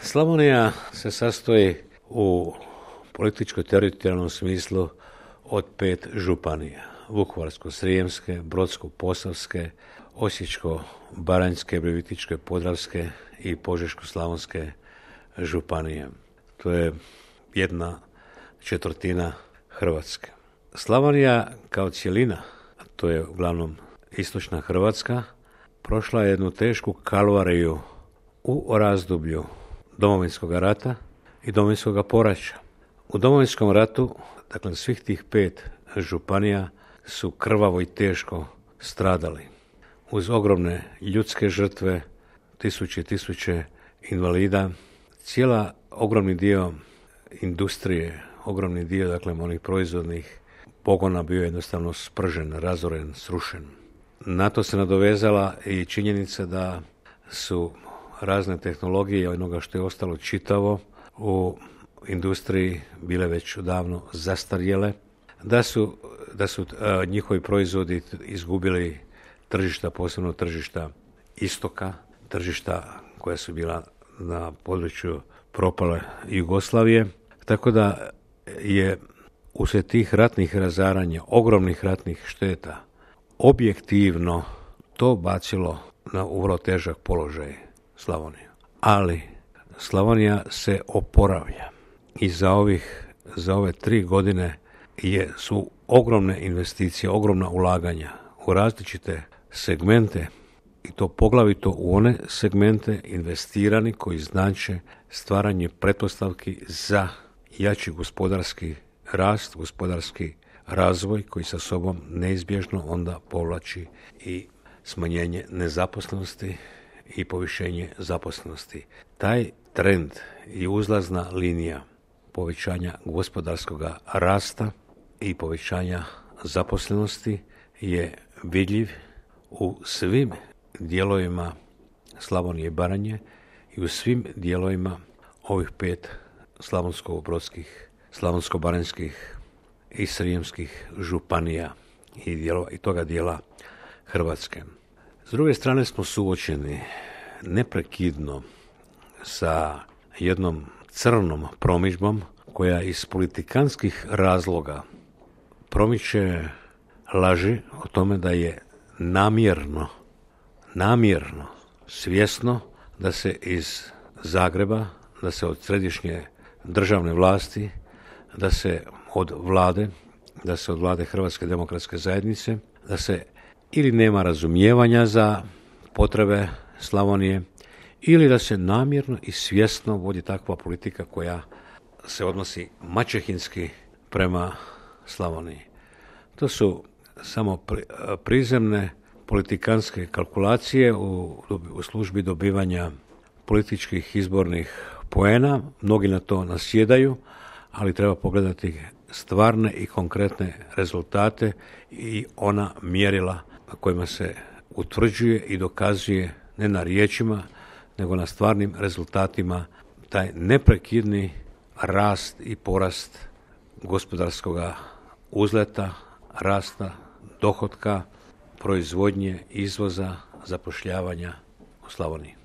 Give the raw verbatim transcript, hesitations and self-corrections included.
Slavonija se sastoji u političko-teritorijalnom smislu od pet županija. Vukovarsko-srijemske, Brodsko-posavske, Osječko-baranjske, Virovitičko-podravske i Požeško-slavonske županije. To je jedna četvrtina Hrvatske. Slavonija kao cjelina, to je uglavnom istočna Hrvatska, prošla je jednu tešku kalvariju u razdoblju Domovinskog rata i Domovinskog poraća. U Domovinskom ratu, dakle svih tih pet županija su krvavo i teško stradali. Uz ogromne ljudske žrtve, tisuće i tisuće invalida, cijela ogromni dio industrije, ogromni dio dakle onih proizvodnih pogona bio jednostavno spržen, razoren, srušen. Na to se nadovezala i činjenica da su razne tehnologije onoga što je ostalo čitavo u industriji bile već odavno zastarjele, da su, da su a, njihovi proizvodi izgubili tržišta, posebno tržišta istoka, tržišta koja su bila na području propale Jugoslavije, tako da je uslijed tih ratnih razaranja, ogromnih ratnih šteta, objektivno to bacilo na vrlo težak položaj Slavoniju. Ali Slavonija se oporavlja i za ovih, za ove tri godine je, su ogromne investicije, ogromna ulaganja u različite segmente i to poglavito u one segmente investirani koji znače stvaranje pretpostavki za jači gospodarski rast, gospodarski razvoj koji sa sobom neizbježno onda povlači i smanjenje nezaposlenosti i povišenje zaposlenosti. Taj trend i uzlazna linija povećanja gospodarskog rasta i povećanja zaposlenosti je vidljiv u svim dijelovima Slavonije i Baranje i u svim dijelovima ovih pet slavonsko-brodskih, slavonsko-baranjskih i srijemskih županija i, dijelova, i toga dijela Hrvatske. S druge strane smo suočeni neprekidno sa jednom crnom promidžbom koja iz politikanskih razloga promiče laži o tome da je namjerno, namjerno, svjesno da se iz Zagreba, da se od središnje državne vlasti, da se od vlade, da se od vlade Hrvatske demokratske zajednice, da se ili nema razumijevanja za potrebe Slavonije, ili da se namjerno i svjesno vodi takva politika koja se odnosi maćehinski prema Slavoniji. To su samo prizemne politikanske kalkulacije u, u službi dobivanja političkih izbornih poena. Mnogi na to nasjedaju, ali treba pogledati stvarne i konkretne rezultate i ona mjerila na kojima se utvrđuje i dokazuje ne na riječima, nego na stvarnim rezultatima taj neprekidni rast i porast gospodarskog uzleta, rasta, dohotka, proizvodnje, izvoza, zapošljavanja u Slavoniji.